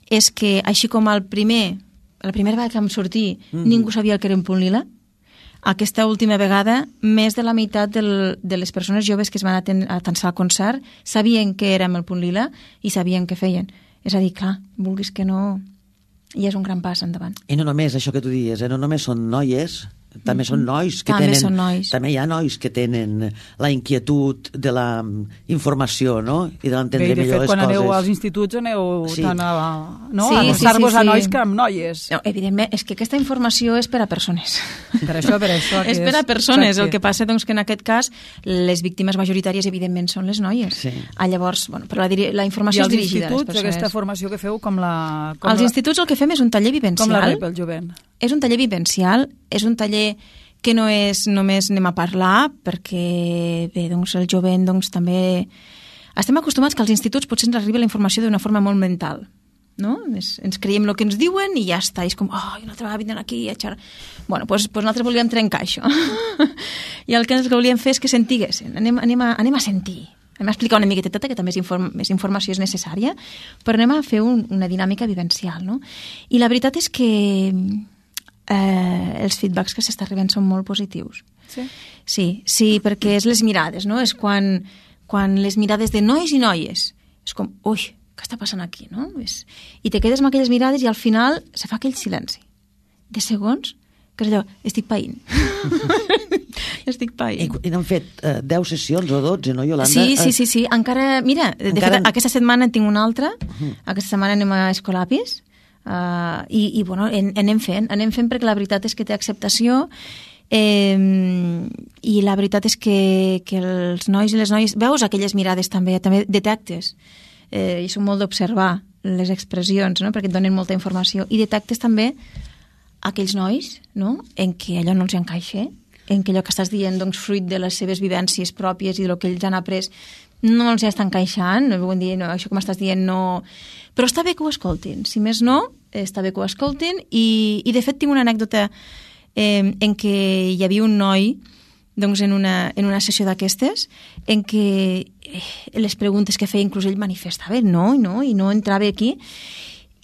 és que així com el primer, la primera vegada que vam sortir mm-hmm. ningú sabia el que era un Punt Lila, aquesta última vegada més de la meitat del, de les persones joves que es van atansar al concert sabien que érem el Punt Lila i sabien què feien. És a dir, clar, vulguis que no, i és un gran pas endavant. I no només això que tu dius, eh? No només són noies, també són nois que també tenen, són nois. També hi ha nois que tenen la inquietud de la informació, no? I de l'entendre millor les coses. Bé, de fet, quan aneu als instituts aneu sí. tant a, no? sí, a passar-vos sí, sí, sí. a nois que amb noies. No, evidentment, és que aquesta informació és per a persones. Per això, per això. és per a persones. El que passa, doncs, que en aquest cas les víctimes majoritàries, evidentment, són les noies. Sí. Ah, llavors, bueno, però la, la informació és dirigida a les persones. I als instituts, aquesta formació que feu, com la... Com als la... instituts el que fem és un taller vivencial. Com la rep el jovent. És un taller vivencial, és un taller que no és només anem a parlar, perquè bé, doncs, el jovent doncs, també... Estem acostumats que als instituts potser ens arriba la informació d'una forma molt mental. no? Ens, ens creiem el que ens diuen i ja està, i és com, oh, una altra vegada vindran aquí a xerrar. Bueno, doncs, doncs nosaltres volíem trencar això. I el que ens volíem fer és que sentiguessin, anem, anem, a, anem a sentir, anem a explicar una miqueta, que també és inform, més informació és necessària, però anem a fer un, una dinàmica vivencial, no? I la veritat és que eh, els feedbacks que s'està rebent són molt positius. Sí? Sí, sí, perquè és les mirades, no? És quan, quan les mirades de nois i noies, és com, ui, què està passant aquí, no? És... I te quedes amb aquelles mirades i al final se fa aquell silenci de segons, que és allò, estic païnt. estic païnt. I, i n'han fet uh, deu sessions o dotze, no, Iolanda? Sí, sí, sí, sí. Encara, mira, de Encara... fet, aquesta setmana en tinc una altra, Uh-huh. aquesta setmana anem a Escolapis, uh, i, i bueno, en, anem fent, anem fent perquè la veritat és que té acceptació, eh, i la veritat és que, que els nois i les noies, veus aquelles mirades també, també detectes, eh, i són molt d'observar les expressions, no? Perquè et donen molta informació, i detectes també aquells nois, no? En què allò no els encaixa, en què allò que estàs dient, doncs, fruit de les seves vivències pròpies i del que ells han après, no els està encaixant, no vull dir, no, això com estàs dient no... Però està bé que ho escoltin, si més no, està bé que ho escoltin, i, i de fet tinc una anècdota eh, en què hi havia un noi, doncs en una, en una sessió d'aquestes, en què eh, les preguntes que feia inclús ell manifestava no, i no, i no entrava aquí,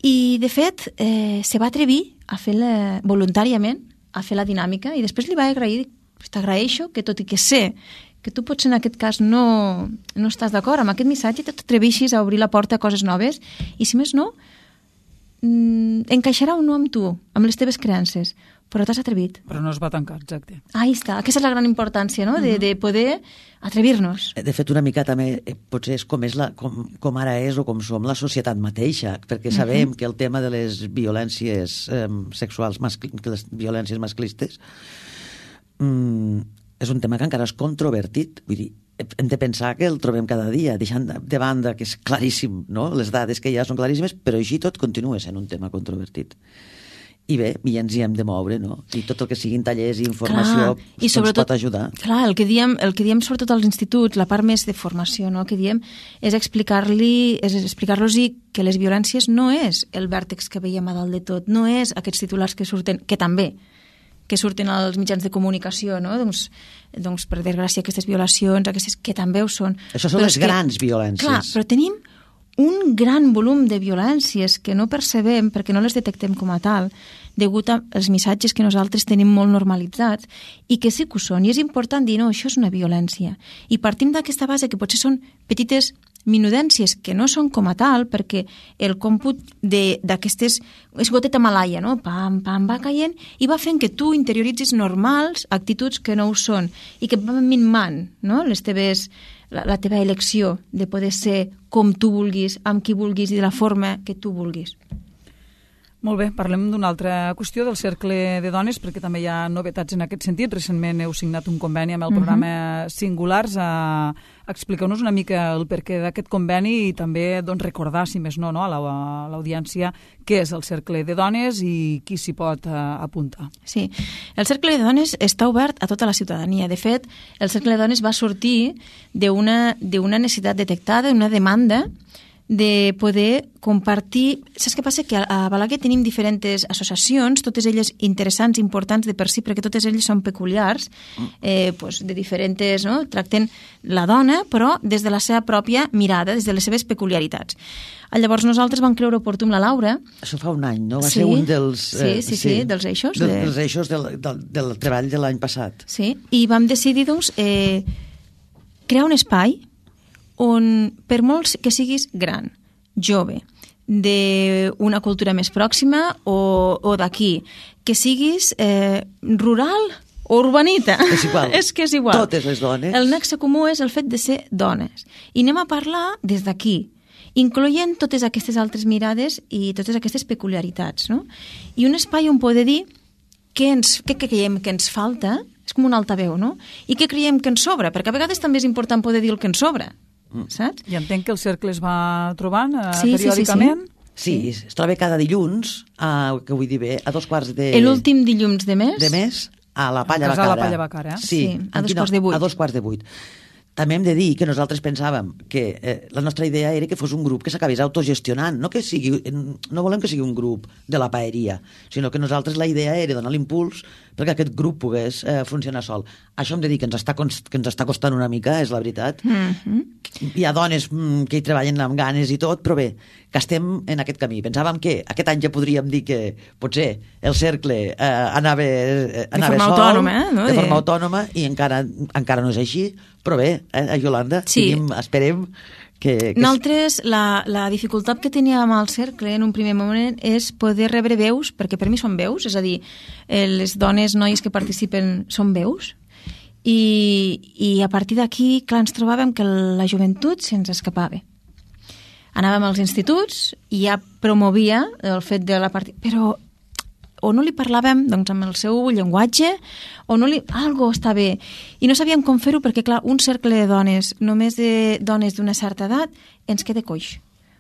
i de fet eh, se va atrevir a fer la, voluntàriament a fer la dinàmica, i després li va agrair, t'agraeixo que tot i que sé que tu potser en aquest cas no, no estàs d'acord amb aquest missatge, t'atreveixis a obrir la porta a coses noves, i si més no mm, encaixarà o no amb tu, amb les teves creences, però t'has atrevit. Però no es va tancar, exacte. Ahí està, aquesta és la gran importància, no? De, de poder atrevir-nos. De fet, una mica també, eh, potser és com, és la, com, com ara és o com som la societat mateixa, perquè sabem uh-huh. que el tema de les violències eh, sexuals, mascl les violències masclistes, mm, és un tema que encara és controvertit. Vull dir, hem de pensar que el trobem cada dia, deixant de banda que és claríssim, no? Les dades que hi ha són claríssimes, però així tot continua sent un tema controvertit. I bé, i ens hi hem de moure, no? I tot el que siguin tallers i informació clar, i ens pot ajudar. Clar, el que diem, el que diem sobretot als instituts, la part més de formació, no?, que diem, és explicar-li, és explicar-los que les violències no és el vèrtex que veiem a dalt de tot, no és aquests titulars que surten, que també, que surten als mitjans de comunicació, no? Doncs, doncs per desgràcia, aquestes violacions, aquestes que també ho són. Això són però les grans que, violències. Clar, però tenim un gran volum de violències que no percebem perquè no les detectem com a tal, degut als missatges que nosaltres tenim molt normalitzats i que sí que ho són. I és important dir, no, això és una violència. I partim d'aquesta base que potser són petites minudències que no són com a tal, perquè el còmput d'aquestes és goteta malaia, no? Pam, pam, va caient i va fent que tu interioritzis normals actituds que no ho són i que van minmant, no?, les teves, la, la teva elecció de poder ser com tu vulguis, amb qui vulguis i de la forma que tu vulguis. Molt bé, parlem d'una altra qüestió del Cercle de Dones, perquè també hi ha novetats en aquest sentit. Recentment heu signat un conveni amb el programa uh-huh. Singulars. A... Expliqueu-nos una mica el perquè d'aquest conveni i també doncs, recordar, si més no, no a l'audiència, què és el Cercle de Dones i qui s'hi pot uh, apuntar. Sí, el Cercle de Dones està obert a tota la ciutadania. De fet, el Cercle de Dones va sortir d'una d'una necessitat detectada, una demanda de poder compartir... Saps què passa? Que a Balaguer tenim diferents associacions, totes elles interessants, importants de per si, perquè totes elles són peculiars, eh, pues, de diferents... No? Tracten la dona, però des de la seva pròpia mirada, des de les seves peculiaritats. Llavors nosaltres vam creure oportú amb la Laura... Això fa un any, no? Va sí, ser un dels... Eh, sí, sí, sí, sí, dels eixos. De, de... Dels eixos del, del, del treball de l'any passat. Sí, i vam decidir, doncs, eh, crear un espai on, per molts que siguis gran, jove, d'una cultura més pròxima o, o d'aquí, que siguis eh, rural o urbanita. És igual. És que és igual. Totes les dones. El nexe comú és el fet de ser dones. I anem a parlar des d'aquí, incloent totes aquestes altres mirades i totes aquestes peculiaritats, no? I un espai on poder dir què, ens, què creiem que ens falta, és com un altaveu, no? I què creiem que ens sobra, perquè a vegades també és important poder dir el que ens sobra. Saps? I entenc que el cercle es va trobant uh, sí, periòdicament. Sí, sí, sí. sí, es troba cada dilluns, a, que vull dir bé, a dos quarts de... L'últim dilluns de mes. De mes, a la Palla a Bacara. A la Palla Bacara. Sí, sí, a dos quarts de vuit. A dos quarts de vuit. també hem de dir que nosaltres pensàvem que eh, la nostra idea era que fos un grup que s'acabés autogestionant, no que sigui, no volem que sigui un grup de la paeria, sinó que nosaltres la idea era donar l'impuls perquè aquest grup pogués eh, funcionar sol. Això hem de dir que ens està, que ens està costant una mica, és la veritat. Mm-hmm. Hi ha dones mm, que hi treballen amb ganes i tot, però bé, que estem en aquest camí. Pensàvem que aquest any ja podríem dir que potser el cercle eh, anava, eh, anava de forma sol, autònoma, eh? No? de forma autònoma, i encara, encara no és així, però bé, eh, a Yolanda, sí. tenim, esperem que... que... Nosaltres, la, la dificultat que teníem amb el cercle en un primer moment és poder rebre veus, perquè per mi són veus, és a dir, eh, les dones, noies que participen són veus, i, i a partir d'aquí, clar, ens trobàvem que la joventut se'ns escapava. Anàvem als instituts i ja promovia el fet de la part... Però o no li parlàvem doncs, amb el seu llenguatge o no li... algo està bé. I no sabíem com fer-ho perquè, clar, un cercle de dones, només de dones d'una certa edat, ens queda coix.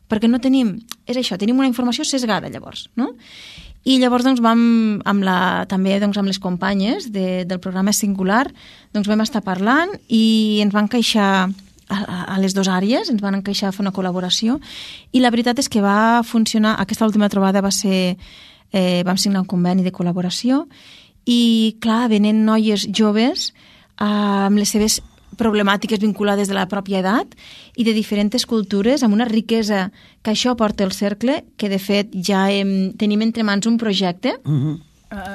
Perquè no tenim... És això, tenim una informació sesgada, llavors, no? I llavors doncs, vam, amb la, també doncs, amb les companyes de, del programa Singular, doncs vam estar parlant i ens van queixar a, a les dues àrees, ens van encaixar a fer una col·laboració i la veritat és que va funcionar, aquesta última trobada va ser, eh, vam signar un conveni de col·laboració i clar, venen noies joves eh, amb les seves problemàtiques vinculades de la pròpia edat i de diferents cultures, amb una riquesa que això porta el cercle, que de fet ja hem, tenim entre mans un projecte Mm-hmm.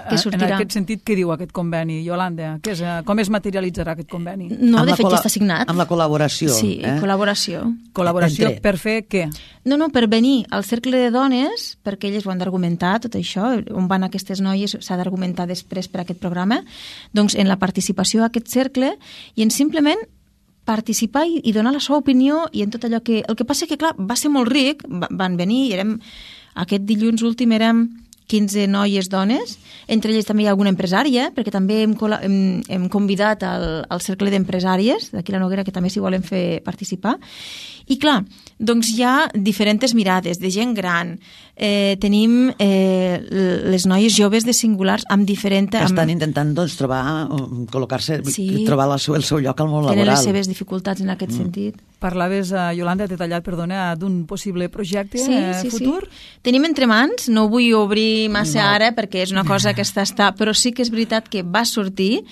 que sortirà. En aquest sentit, què diu aquest conveni, Yolanda? Què és, com es materialitzarà aquest conveni? No, Amb de la fet col·la- ja està signat. Amb la col·laboració. Sí, eh? col·laboració. Col·laboració Entre- per fer què? No, no, per venir al cercle de dones, perquè elles ho han d'argumentar, tot això, on van aquestes noies, s'ha d'argumentar després per aquest programa, doncs en la participació a aquest cercle i en simplement participar i, i donar la seva opinió i en tot allò que... El que passa que, clar, va ser molt ric, va, van venir i érem... Aquest dilluns últim érem quinze noies dones, entre elles també hi ha alguna empresària, perquè també hem, hem, hem convidat al, al cercle d'empresàries d'aquí la Noguera, que també s'hi volen fer participar. I clar, doncs hi ha diferents mirades de gent gran, eh, tenim eh, les noies joves de Singulars amb diferent... Que estan amb... intentant doncs, trobar, um, col·locar-se, Sí. trobar el seu, el seu lloc al món tenen laboral. les seves dificultats en aquest mm. sentit. Parlaves, uh, Yolanda, t'he tallat, perdona, d'un possible projecte Sí, eh, sí, futur? sí. Tenim entre mans, no vull obrir massa No. ara perquè és una cosa que està, està, però sí que és veritat que va sortir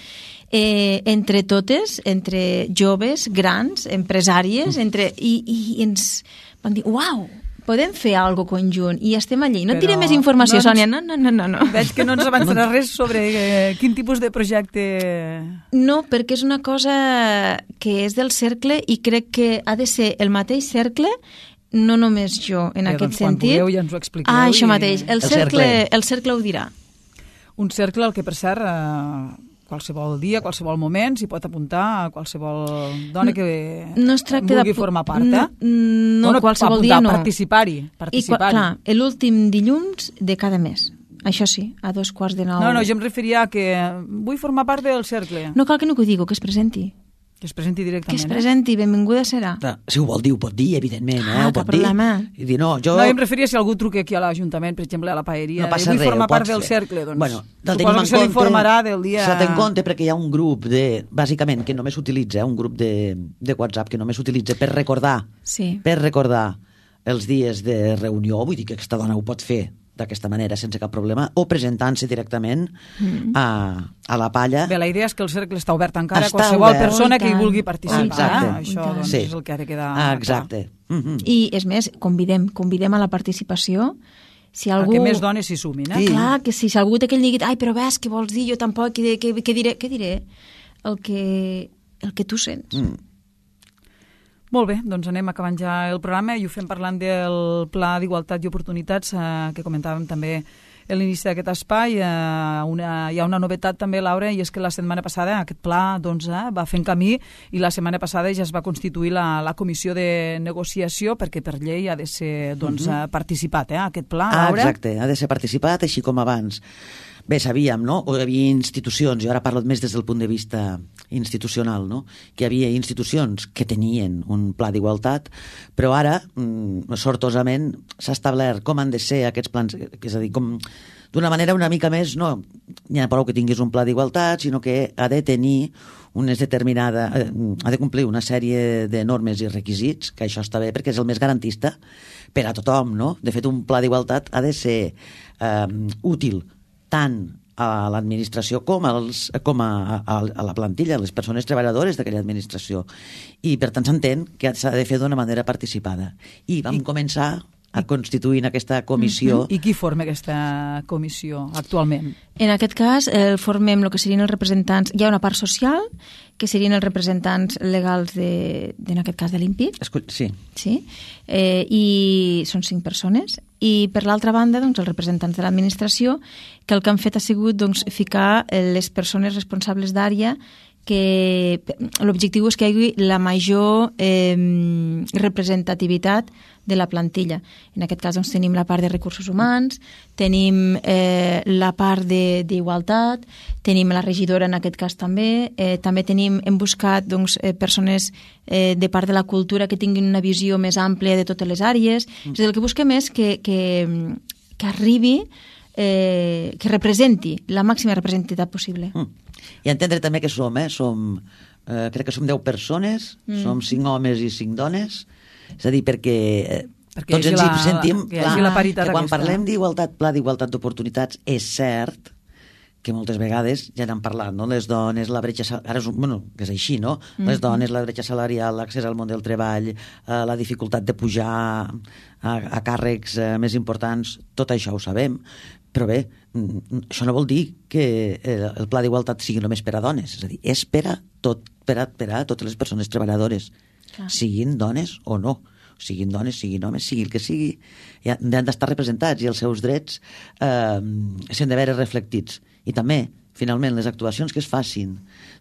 eh, entre totes, entre joves, grans, empresàries, entre, i, i ens van dir, uau, podem fer alguna conjunt i estem allí. No et diré Però més informació, no ens- Sònia, no, no, no, no. no. Veig que no ens avançarà res sobre eh, quin tipus de projecte... No, perquè és una cosa que és del cercle i crec que ha de ser el mateix cercle, no només jo, en Bé, aquest doncs, quan sentit. pugueu ja ens ho expliqueu Ah, això i- mateix. El, El cercle, cercle. el cercle ho dirà. Un cercle al que, per cert, eh, qualsevol dia, qualsevol moment, s'hi pot apuntar a qualsevol dona que No es tracta vulgui de... formar part, eh? No, no Bueno, qualsevol apuntar, dia no. Participar-hi, I, qua- participar-hi. clar, l'últim dilluns de cada mes. Això sí, a dos quarts de nou. No, no, jo em referia a que vull formar part del cercle. No cal que no ho digui, que es presenti. Que es presenti Que directament. es presenti, benvinguda serà. Clar, si ho vol dir, ho pot dir, evidentment. Eh? Ah, Ho cap pot dir. problema. I dir, no, Eh? jo... No, jo em referia si algú truca aquí a l'Ajuntament, per exemple, a la paeria, No passa vull res, formar ho part pots del fer. cercle, doncs Bueno, del suposo tenim que en se li compte, informarà del dia... S'ha de tenir en compte perquè hi ha un grup de, bàsicament, que només s'utilitza, eh, un grup de, de WhatsApp que només s'utilitza per recordar, Sí. per recordar els dies de reunió, vull dir que aquesta dona ho pot fer d'aquesta manera sense cap problema, o presentant-se directament mm. a, a la palla. Bé, la idea és que el cercle està obert encara a Està qualsevol obert. persona Oh, i que hi tant. vulgui participar. Exacte. Eh? Això doncs, Sí. és el que ha de quedar Ah, exacte. Mm-hmm. I, és més, convidem, convidem a la participació. Si clar. algú... Que més dones s'hi sumin. Eh? Sí. Clar, que si, si algú té aquell neguit, ai, però ves, què vols dir? Jo tampoc, què, què, què diré? Què diré? El que, el que tu sents. Mm. Molt bé, doncs anem acabant ja el programa i ho fem parlant del Pla d'Igualtat i Oportunitats eh, que comentàvem també a l'inici d'aquest espai. Eh, una, hi ha una novetat també, Laura, i és que la setmana passada aquest pla doncs, eh, va fent camí i la setmana passada ja es va constituir la, la comissió de negociació perquè per llei ha de ser doncs, uh-huh. participat, eh, aquest pla, Ah, Laura. exacte, ha de ser participat, així com abans. Bé, sabíem, no? Hi havia institucions, jo ara parlo més des del punt de vista institucional, no? Que hi havia institucions que tenien un pla d'igualtat, però ara, mm, sortosament, s'ha establert com han de ser aquests plans, és a dir, com d'una manera una mica més, no n'hi ha prou que tinguis un pla d'igualtat, sinó que ha de tenir unes determinada, eh, ha de complir una sèrie de normes i requisits, que això està bé perquè és el més garantista per a tothom, no? De fet, un pla d'igualtat ha de ser eh, útil tant a l'administració com, als, com a, a, a la plantilla, a les persones treballadores d'aquella administració. I, per tant, s'entén que s'ha de fer d'una manera participada. I vam I... començar a constituir aquesta comissió. Mm-hmm. I qui forma aquesta comissió actualment? En aquest cas, el formem el que serien els representants... Hi ha una part social, que serien els representants legals de, de en aquest cas, de l'I N P I. Sí. Sí. Eh, I són cinc persones. I, per l'altra banda, doncs, els representants de l'administració, que el que han fet ha sigut doncs, ficar les persones responsables d'àrea, que l'objectiu és que hi hagi la major eh, representativitat de la plantilla. En aquest cas doncs, tenim la part de recursos humans, tenim eh, la part d'igualtat, tenim la regidora en aquest cas també, eh, també tenim, hem buscat doncs, eh, persones eh, de part de la cultura que tinguin una visió més àmplia de totes les àrees. Mm. És a dir, el que busquem és que, que, que arribi, eh, que representi la màxima representativitat possible. Mm. I entendre també que som, eh? som eh, crec que som deu persones, mm. som cinc homes i cinc dones, és a dir, perquè, eh, perquè tots ens hi la, sentim, que, clar, la que quan aquesta. Parlem d'igualtat, pla d'igualtat d'oportunitats, és cert que moltes vegades ja n'han parlat, no? Les dones, la bretxa salarial, ara és, bueno, que és així, no? Mm-hmm. Les dones, la bretxa salarial, l'accés al món del treball, eh, la dificultat de pujar a, a càrrecs eh, més importants, tot això ho sabem, però bé, això no vol dir que el pla d'igualtat sigui només per a dones, és a dir, és per a, tot, per a, per a totes les persones treballadores, clar, siguin dones o no, siguin dones, siguin homes, sigui el que sigui, han d'estar representats i els seus drets eh, s'han de veure reflectits. I també, finalment, les actuacions que es facin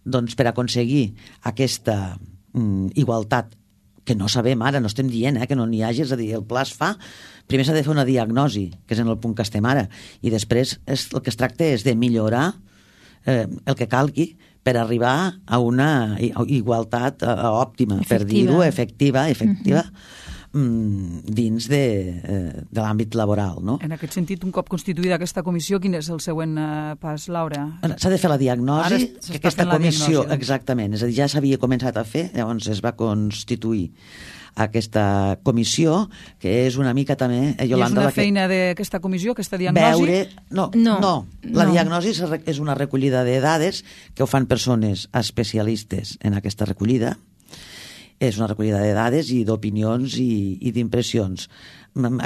doncs, per aconseguir aquesta mm, igualtat, que no sabem ara, no estem dient eh, que no n'hi hagi, és a dir, el pla es fa, primer s'ha de fer una diagnosi, que és en el punt que estem ara, i després és, el que es tracta és de millorar eh, el que calgui per arribar a una igualtat eh, òptima, efectiva. Per dir-ho, efectiva, efectiva, uh-huh. dins de, de l'àmbit laboral. No? En aquest sentit, un cop constituïda aquesta comissió, quin és el següent pas, Laura? S'ha de fer la diagnosi, que aquesta comissió, diagnosi, exactament, és a dir, ja s'havia començat a fer, llavors es va constituir aquesta comissió, que és una mica també... Eh, Yolanda, I és una feina que... d'aquesta comissió, aquesta diagnosi? Veure... No, no, no. La no. diagnosi és una recollida de dades que ho fan persones especialistes en aquesta recollida. És una recollida de dades i d'opinions i, i d'impressions.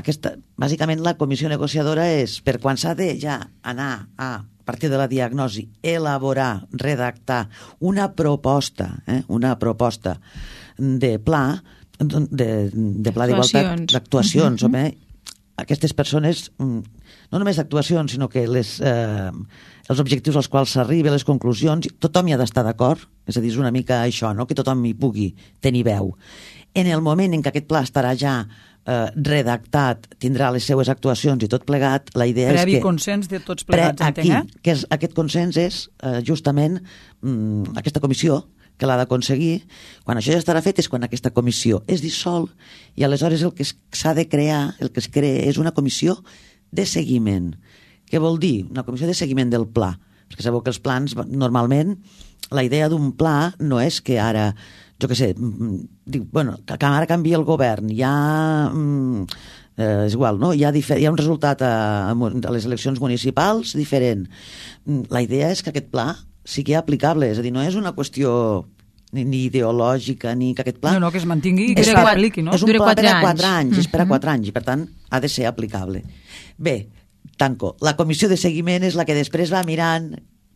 Aquesta, bàsicament, la comissió negociadora és, per quan s'ha de ja anar a, a partir de la diagnosi, elaborar, redactar una proposta, eh, una proposta de pla, de, de pla d'igualtat, d'actuacions, uh-huh. home, aquestes persones, no només d'actuacions, sinó que les, eh, els objectius als quals s'arriba, les conclusions, tothom hi ha d'estar d'acord, és a dir, és una mica això, no? Que tothom hi pugui tenir veu. En el moment en què aquest pla estarà ja eh, redactat, tindrà les seues actuacions i tot plegat, la idea Previ és que... Previ consens de tots plegats, aquí, entenc, eh? Que és, aquest consens és eh, justament mm, aquesta comissió que l'ha d'aconseguir. Quan això ja estarà fet és quan aquesta comissió es dissol i aleshores el que s'ha de crear, el que es crea és una comissió de seguiment. Què vol dir? Una comissió de seguiment del pla. Perquè sabeu que els plans, normalment, la idea d'un pla no és que ara, jo què sé, dic, bueno, que ara canvia el govern, hi ha... Eh, és igual, no? Hi ha, difer- hi ha un resultat a, a les eleccions municipals diferent. La idea és que aquest pla sigui aplicable, és a dir, no és una qüestió ni, ni ideològica, ni que aquest pla... No, no, que es mantingui i que s'apliqui, no? És un pla per a quatre anys, és per a quatre anys, i per tant ha de ser aplicable. Bé, tanco. La comissió de seguiment és la que després va mirant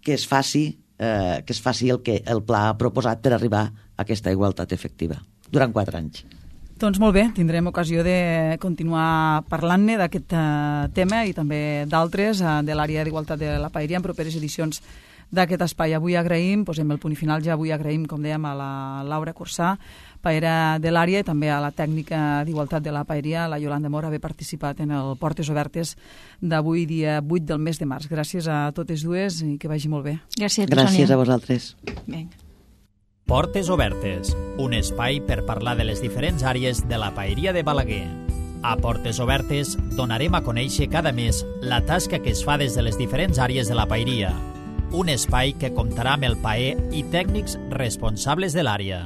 que es faci, eh, que es faci el que el pla ha proposat per arribar a aquesta igualtat efectiva, durant quatre anys. Doncs molt bé, tindrem ocasió de continuar parlant-ne d'aquest uh, tema i també d'altres uh, de l'àrea d'igualtat de la Paeria en properes edicions d'aquest espai. Avui agraïm, posem el punt final ja, avui agraïm, com dèiem, a la Laura Cursà, paera de l'àrea, i també a la tècnica d'igualtat de la Paeria, la Yolanda Mor, haver participat en el Portes Obertes d'avui, dia vuit del mes de març. Gràcies a totes dues i que vagi molt bé. Gràcies a tu, Gràcies Sònia. a vosaltres. Vinga. Portes Obertes, un espai per parlar de les diferents àrees de la Paeria de Balaguer. A Portes Obertes donarem a conèixer cada mes la tasca que es fa des de les diferents àrees de la Paeria. un espai que comptarà amb el P A E i tècnics responsables de l'àrea.